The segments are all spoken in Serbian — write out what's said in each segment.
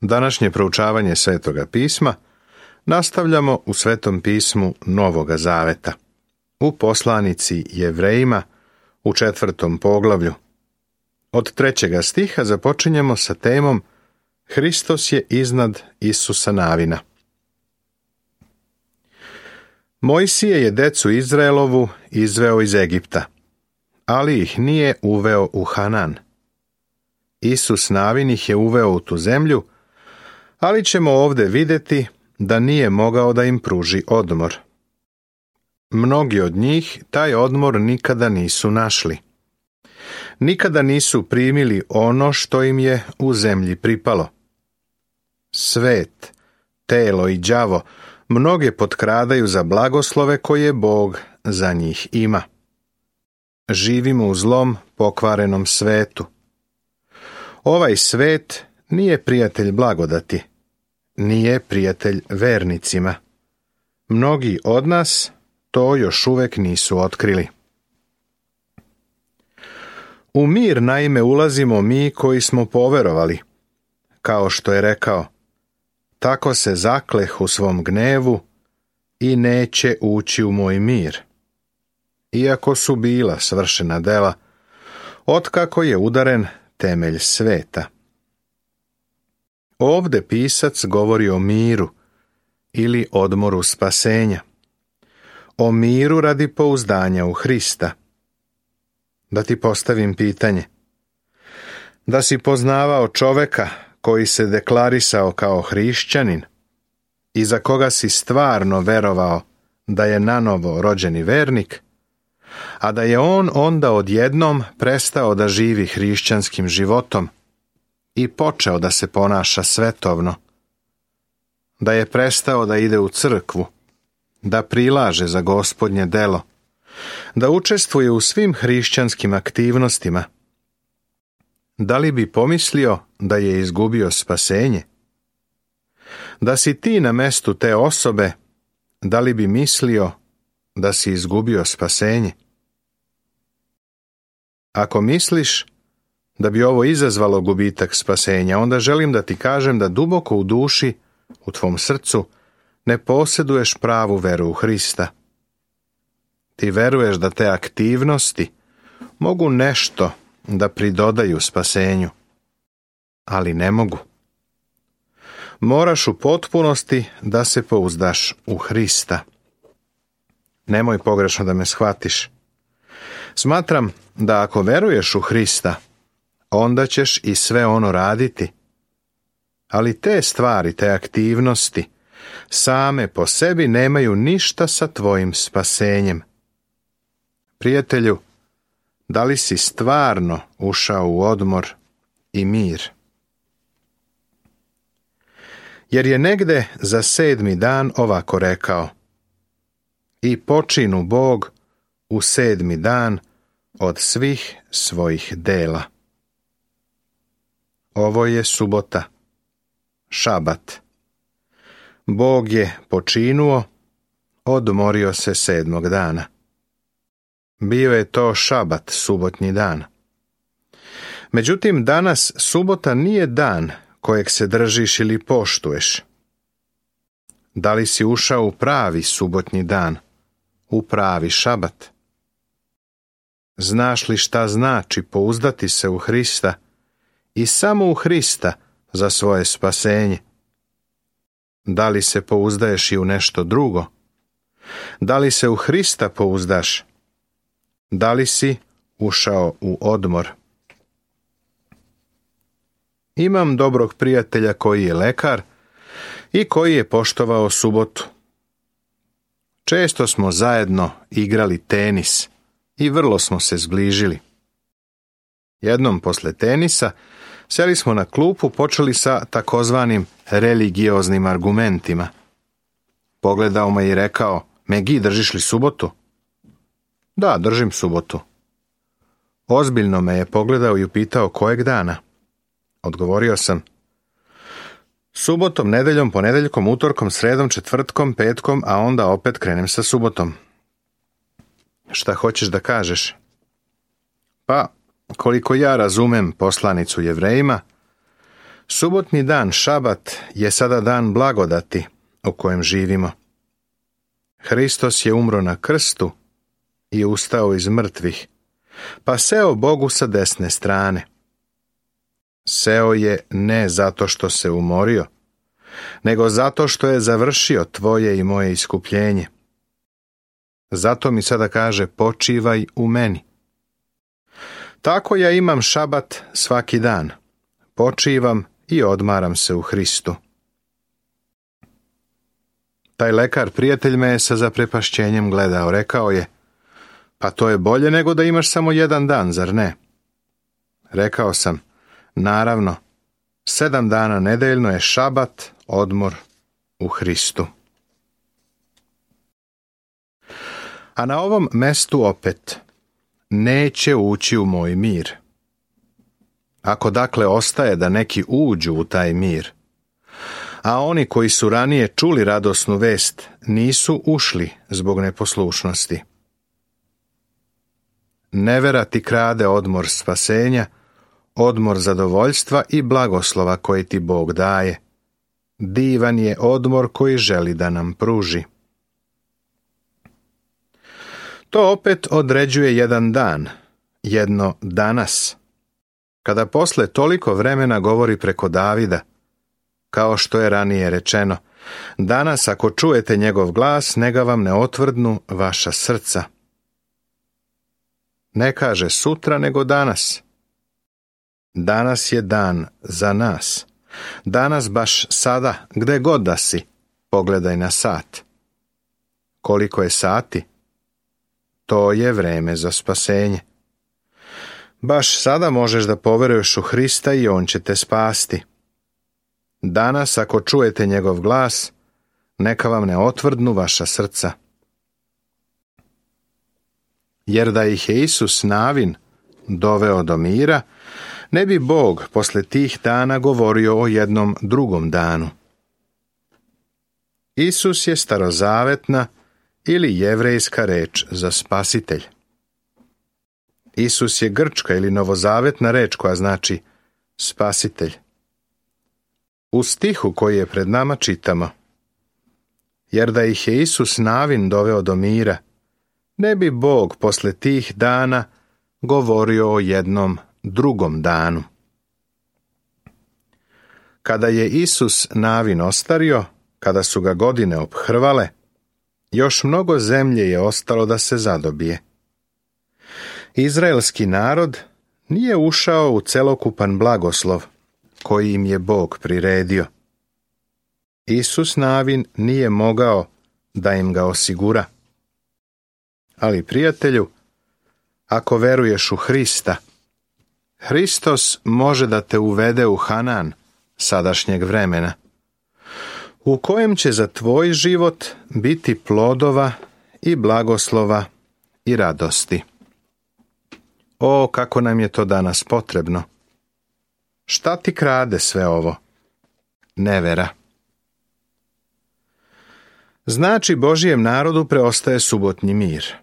Današnje proučavanje Svetoga pisma nastavljamo u Svetom pismu Novoga Zaveta, u poslanici Jevrejima u 4. poglavlju. Od 3. stiha započinjemo sa temom Hristos je iznad Isusa Navina. Mojsije je decu Izraelovu izveo iz Egipta, ali ih nije uveo u Hanan. Isus Navin ih je uveo u tu zemlju, ali ćemo ovdje vidjeti da nije mogao da im pruži odmor. Mnogi od njih taj odmor nikada nisu našli. Nikada nisu primili ono što im je u zemlji pripalo. Svet, telo i đavo mnoge potkradaju za blagoslove koje Bog za njih ima. Živimo u zlom, pokvarenom svetu. Ovaj svet nije prijatelj blagodati, nije prijatelj vernicima. Mnogi od nas to još uvek nisu otkrili. U mir naime ulazimo mi koji smo poverovali, kao što je rekao, tako se zakleh u svom gnevu i neće ući u moj mir. Iako su bila svršena dela, otkako je udaren temelj sveta. Ovde pisac govori o miru ili odmoru spasenja. O miru radi pouzdanja u Hrista. Da ti postavim pitanje. Da si poznavao čoveka koji se deklarisao kao hrišćanin i za koga si stvarno verovao da je nanovo rođeni vernik, a da je on onda odjednom prestao da živi hrišćanskim životom i počeo da se ponaša svetovno, da je prestao da ide u crkvu, da prilaže za Gospodnje delo, da učestvuje u svim hrišćanskim aktivnostima, da li bi pomislio da je izgubio spasenje? Da si ti na mestu te osobe, da li bi mislio da si izgubio spasenje? Ako misliš da bi ovo izazvalo gubitak spasenja, onda želim da ti kažem da duboko u duši, u tvom srcu, ne posjeduješ pravu veru u Hrista. Ti veruješ da te aktivnosti mogu nešto da pridodaju spasenju, ali ne mogu. Moraš u potpunosti da se pouzdaš u Hrista. Nemoj pogrešno da me shvatiš. Smatram da ako veruješ u Hrista, onda ćeš i sve ono raditi. Ali te stvari, te aktivnosti, same po sebi nemaju ništa sa tvojim spasenjem. Prijatelju, da li si stvarno ušao u odmor i mir? Jer je negde za 7. dan ovako rekao: I počinu Bog u 7. dan od svih svojih dela. Ovo je subota, šabat. Bog je počinuo, odmorio se 7. dana. Bio je to šabat, subotnji dan. Međutim, danas subota nije dan kojeg se držiš ili poštuješ. Da li si ušao u pravi subotnji dan, u pravi šabat? Znaš li šta znači pouzdati se u Hrista i samo u Hrista za svoje spasenje? Da li se pouzdaješ i u nešto drugo? Da li se u Hrista pouzdaš? Da li si ušao u odmor? Imam dobrog prijatelja koji je lekar i koji je poštovao subotu. Često smo zajedno igrali tenis i vrlo smo se zbližili. Jednom posle tenisa seli smo na klupu, počeli sa takozvanim religioznim argumentima. Pogledao me i rekao: Megi, držiš li subotu? Da, držim subotu. Ozbiljno me je pogledao i upitao kojeg dana. Odgovorio sam: subotom, nedeljom, ponedeljkom, utorkom, sredom, četvrtkom, petkom, a onda opet krenem sa subotom. Šta hoćeš da kažeš? Pa, koliko ja razumem poslanicu Jevrejima, Subotni dan, šabat, je sada dan blagodati u kojem živimo. Hristos je umro na krstu i ustao iz mrtvih, pa seo Bogu sa desne strane. Seo je ne zato što se umorio, nego zato što je završio tvoje i moje iskupljenje. Zato mi sada kaže, počivaj u meni. Tako ja imam šabat svaki dan. Počivam i odmaram se u Hristu. Taj lekar, prijatelj, me je sa zaprepašćenjem gledao. Rekao je, pa to je bolje nego da imaš samo jedan dan, zar ne? Rekao sam, naravno, 7 dana nedeljno je šabat, odmor u Hristu. A na ovom mestu opet, neće ući u moj mir. Ako dakle ostaje da neki uđu u taj mir, a oni koji su ranije čuli radosnu vest nisu ušli zbog neposlušnosti. Nevera ti krade odmor spasenja, odmor zadovoljstva i blagoslova koje ti Bog daje. Divan je odmor koji želi da nam pruži. To opet određuje jedan dan, jedno danas, kada posle toliko vremena govori preko Davida, kao što je ranije rečeno, danas ako čujete njegov glas, neka vam ne otvrdnu vaša srca. Ne kaže sutra, nego danas. Danas je dan za nas. Danas baš sada, gde god da si, pogledaj na sat. Koliko je sati? To je vreme za spasenje. Baš sada možeš da poveruješ u Hrista i on će te spasti. Danas, ako čujete njegov glas, neka vam ne otvrdnu vaša srca. Jer da ih je Isus Navin doveo do mira, ne bi Bog posle tih dana govorio o jednom drugom danu. Isus je starozavetna ili jevrejska reč za spasitelj. Isus je grčka ili novozavetna reč koja znači spasitelj. U stihu koji je pred nama čitamo, jer da ih je Isus Navin doveo do mira, ne bi Bog posle tih dana govorio o jednom drugom danu. Kada je Isus Navin ostario, kada su ga godine ophrvale, još mnogo zemlje je ostalo da se zadobije. Izraelski narod nije ušao u celokupan blagoslov koji im je Bog priredio. Isus Navin nije mogao da im ga osigura. Ali, prijatelju, ako veruješ u Hrista, Hristos može da te uvede u Hanan sadašnjeg vremena, u kojem će za tvoj život biti plodova i blagoslova i radosti. O, kako nam je to danas potrebno! Šta ti krade sve ovo? Nevera. Znači, Božijem narodu preostaje subotnji mir.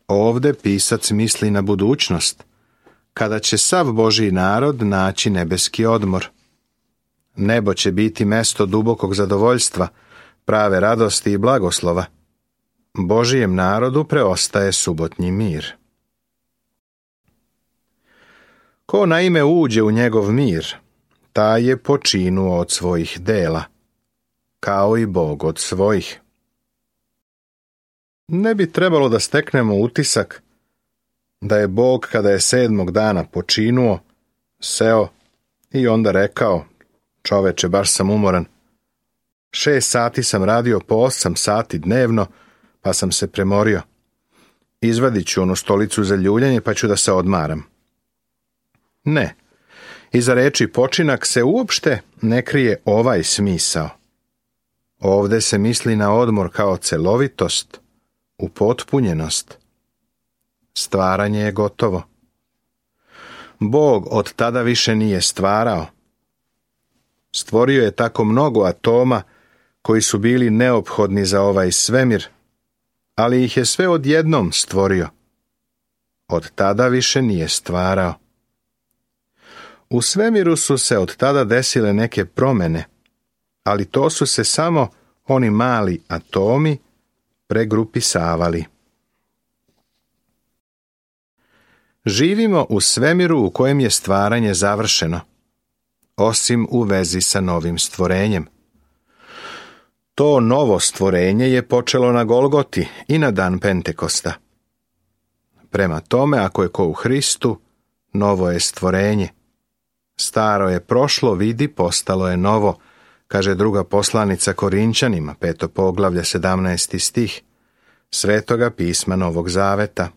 Ovde pisac misli na budućnost, kada će sav Božji narod naći nebeski odmor. Nebo će biti mesto dubokog zadovoljstva, prave radosti i blagoslova. Božijem narodu preostaje subotnji mir. Ko naime uđe u njegov mir, taj je počinuo od svojih dela, kao i Bog od svojih. Ne bi trebalo da steknemo utisak da je Bog, kada je 7. dana počinuo, seo i onda rekao, čoveče, baš sam umoran. 6 sati sam radio po 8 sati dnevno, pa sam se premorio. Izvadit ću onu stolicu za ljuljanje, pa ću da se odmaram. Ne, iza reči počinak se uopšte ne krije ovaj smisao. Ovde se misli na odmor kao celovitost, upotpunjenost. Stvaranje je gotovo. Bog od tada više nije stvarao. Stvorio je tako mnogo atoma koji su bili neophodni za ovaj svemir, ali ih je sve odjednom stvorio. Od tada više nije stvarao. U svemiru su se od tada desile neke promjene, ali to su se samo oni mali atomi pregrupisavali. Živimo u svemiru u kojem je stvaranje završeno, osim u vezi sa novim stvorenjem. To novo stvorenje je počelo na Golgoti i na dan Pentekosta. Prema tome, ako je ko u Hristu, novo je stvorenje. Staro je prošlo, vidi, postalo je novo, kaže druga poslanica Korinčanima, 5. poglavlje, 17. stih, Svetoga pisma Novog Zaveta.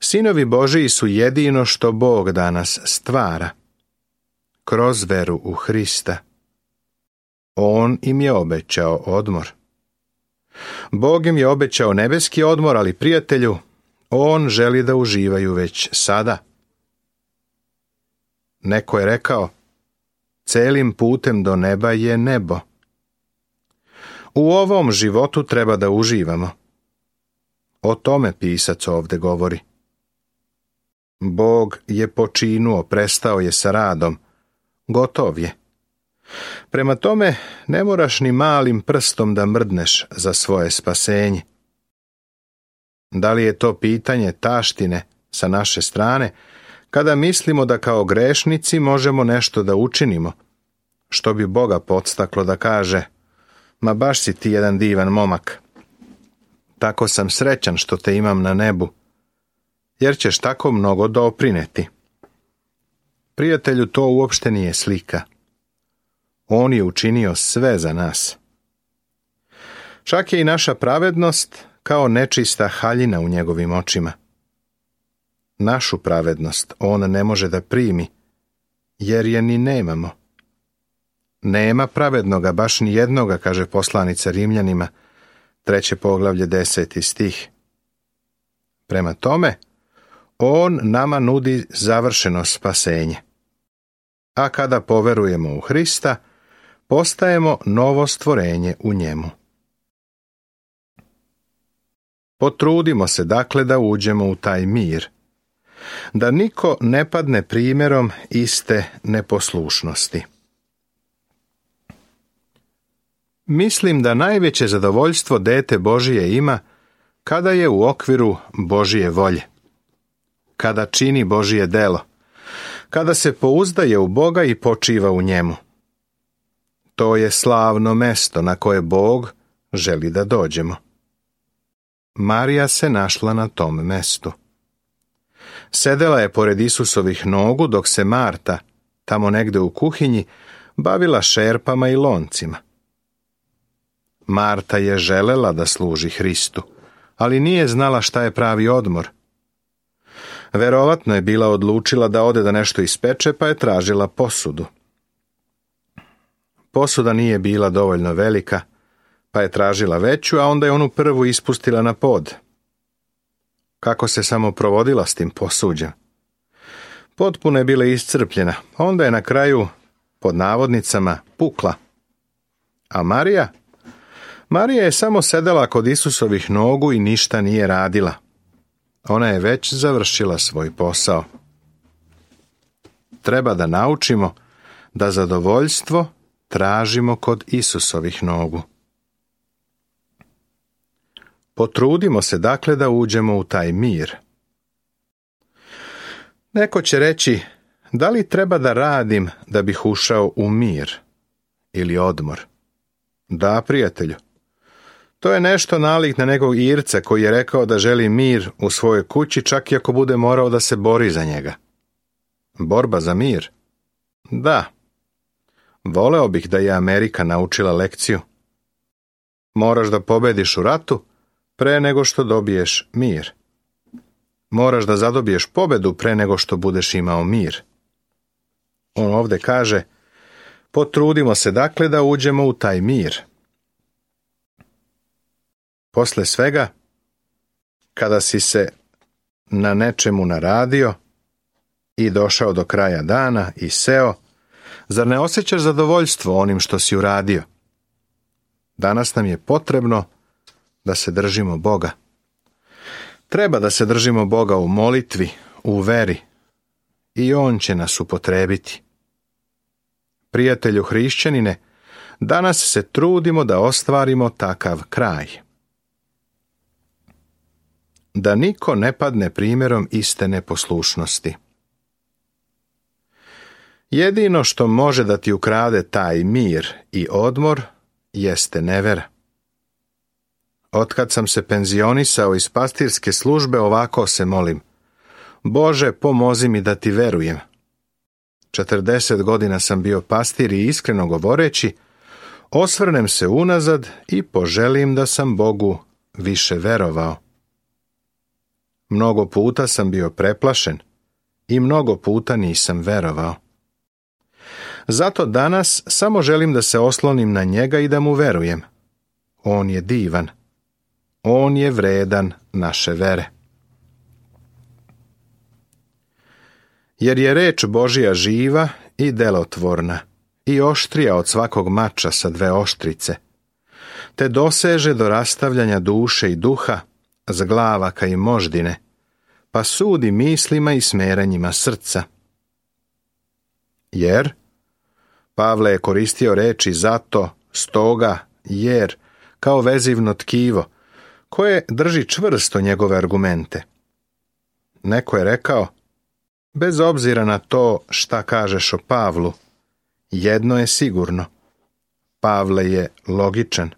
Sinovi Božiji su jedino što Bog danas stvara, kroz veru u Hrista. On im je obećao odmor. Bog im je obećao nebeski odmor, ali prijatelju, on želi da uživaju već sada. Neko je rekao, celim putem do neba je nebo. U ovom životu treba da uživamo. O tome pisac ovdje govori. Bog je počinuo, prestao je sa radom, gotov je. Prema tome, ne moraš ni malim prstom da mrdneš za svoje spasenje. Da li je to pitanje taštine sa naše strane, kada mislimo da kao grešnici možemo nešto da učinimo, što bi Boga podstaklo da kaže, ma baš si ti jedan divan momak. Tako sam srećan što te imam na nebu, jer ćeš tako mnogo doprineti. Prijatelju, to uopšte nije slika. On je učinio sve za nas. Čak je i naša pravednost kao nečista haljina u njegovim očima. Našu pravednost on ne može da primi, jer je ni nemamo. Nema pravednoga, baš ni jednoga, kaže poslanica Rimljanima, 3. poglavlje, 10. stih. Prema tome, on nama nudi završeno spasenje. A kada poverujemo u Hrista, postajemo novo stvorenje u njemu. Potrudimo se dakle da uđemo u taj mir, da niko ne padne primjerom iste neposlušnosti. Mislim da najveće zadovoljstvo dete Božije ima kada je u okviru Božije volje, kada čini Božije delo, kada se pouzdaje u Boga i počiva u njemu. To je slavno mesto na koje Bog želi da dođemo. Marija se našla na tom mestu. Sedela je pored Isusovih nogu dok se Marta, tamo negde u kuhinji, bavila šerpama i loncima. Marta je želela da služi Hristu, ali nije znala šta je pravi odmor. Verovatno je bila odlučila da ode da nešto ispeče, pa je tražila posudu. Posuda nije bila dovoljno velika, pa je tražila veću, a onda je onu prvu ispustila na pod. Kako se samo provodila s tim posuđem? Potpuno je bila iscrpljena, onda je na kraju, pod navodnicama, pukla. A Marija? Marija je samo sedela kod Isusovih nogu i ništa nije radila. Ona je već završila svoj posao. Treba da naučimo da zadovoljstvo tražimo kod Isusovih nogu. Potrudimo se dakle da uđemo u taj mir. Neko će reći, da li treba da radim da bih ušao u mir ili odmor? Da, prijatelju. To je nešto nalik na nekog Irca koji je rekao da želi mir u svojoj kući, čak i ako bude morao da se bori za njega. Borba za mir? Da. Voleo bih da je Amerika naučila lekciju. Moraš da pobediš u ratu pre nego što dobiješ mir. Moraš da zadobiješ pobedu pre nego što budeš imao mir. On ovdje kaže, potrudimo se dakle da uđemo u taj mir. Posle svega, kada si se na nečemu naradio i došao do kraja dana i seo, zar ne osjećaš zadovoljstvo onim što si uradio? Danas nam je potrebno da se držimo Boga. Treba da se držimo Boga u molitvi, u veri, i on će nas upotrijebiti. Prijatelju hrišćanine, danas se trudimo da ostvarimo takav kraj. Da niko ne padne primjerom iste neposlušnosti. Jedino što može da ti ukrade taj mir i odmor jeste nevera. Otkad sam se penzionisao iz pastirske službe, ovako se molim: Bože, pomozi mi da ti verujem. 40 godina sam bio pastir i iskreno govoreći, osvrnem se unazad i poželim da sam Bogu više verovao. Mnogo puta sam bio preplašen i mnogo puta nisam verovao. Zato danas samo želim da se oslonim na njega i da mu verujem. On je divan. On je vredan naše vere. Jer je reč Božja živa i delotvorna i oštrija od svakog mača sa 2 oštrice, te doseže do rastavljanja duše i duha, zglavaka i moždine, pa sudi mislima i smeranjima srca. Jer Pavle je koristio reči zato, stoga, jer, kao vezivno tkivo, koje drži čvrsto njegove argumente. Neko je rekao: bez obzira na to šta kažeš o Pavlu, jedno je sigurno: Pavle je logičan.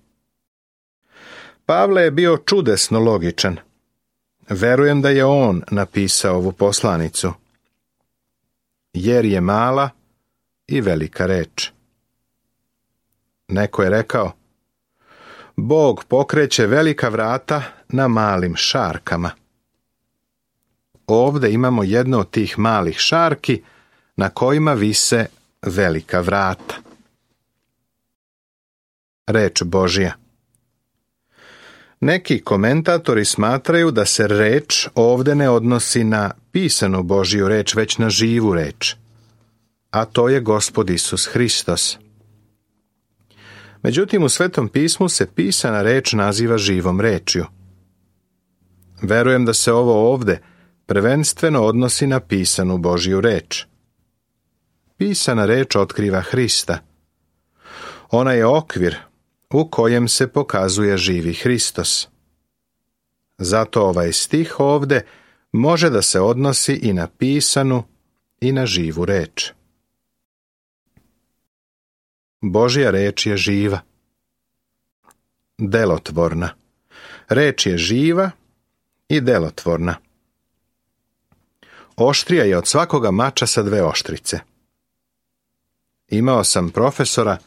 Pavle je bio čudesno logičan. Verujem da je on napisao ovu poslanicu. Jer je mala i velika reč. Neko je rekao: Bog pokreće velika vrata na malim šarkama. Ovdje imamo jedno od tih malih šarki na kojima vise velika vrata. Reč Božja. Neki komentatori smatraju da se reč ovdje ne odnosi na pisanu Božju reč, već na živu reč, a to je Gospod Isus Hristos. Međutim, u Svetom pismu se pisana reč naziva živom rečju. Verujem da se ovo ovdje prvenstveno odnosi na pisanu Božju reč. Pisana reč otkriva Hrista. Ona je okvir u kojem se pokazuje živi Hristos. Zato ovaj stih ovdje može da se odnosi i na pisanu i na živu reč. Božja reč je živa. Delotvorna. Reč je živa i delotvorna. Oštrija je od svakoga mača sa 2 oštrice. Imao sam profesora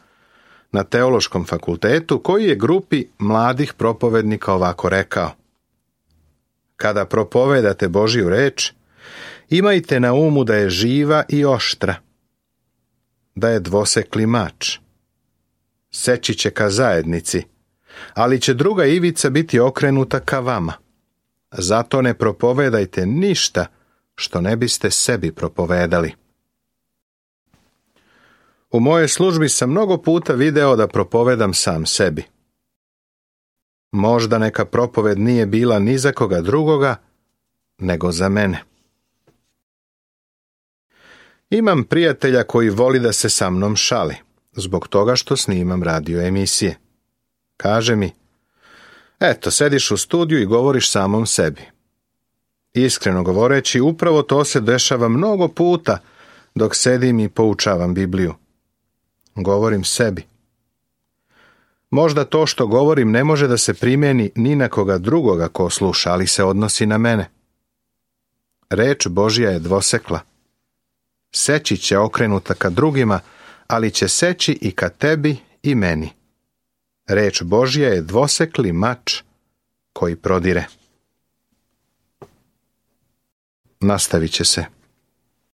na teološkom fakultetu koji je grupi mladih propovednika ovako rekao: kada propovedate Božju reč, imajte na umu da je živa i oštra, da je dvosekli mač. Seći će ka zajednici, ali će druga ivica biti okrenuta ka vama. Zato ne propovedajte ništa što ne biste sebi propovedali. U mojoj službi sam mnogo puta video da propovedam sam sebi. Možda neka propoved nije bila ni za koga drugoga, nego za mene. Imam prijatelja koji voli da se sa mnom šali, zbog toga što snimam radio emisije. Kaže mi: eto, sediš u studiju i govoriš samom sebi. Iskreno govoreći, upravo to se dešava mnogo puta dok sedim i poučavam Bibliju. Govorim sebi. Možda to što govorim ne može da se primjeni ni na koga drugoga ko sluša, ali se odnosi na mene. Reč Božja je dvosekla. Seći će okrenuta ka drugima, ali će seći i ka tebi i meni. Reč Božja je dvosekli mač koji prodire. Nastavit će se.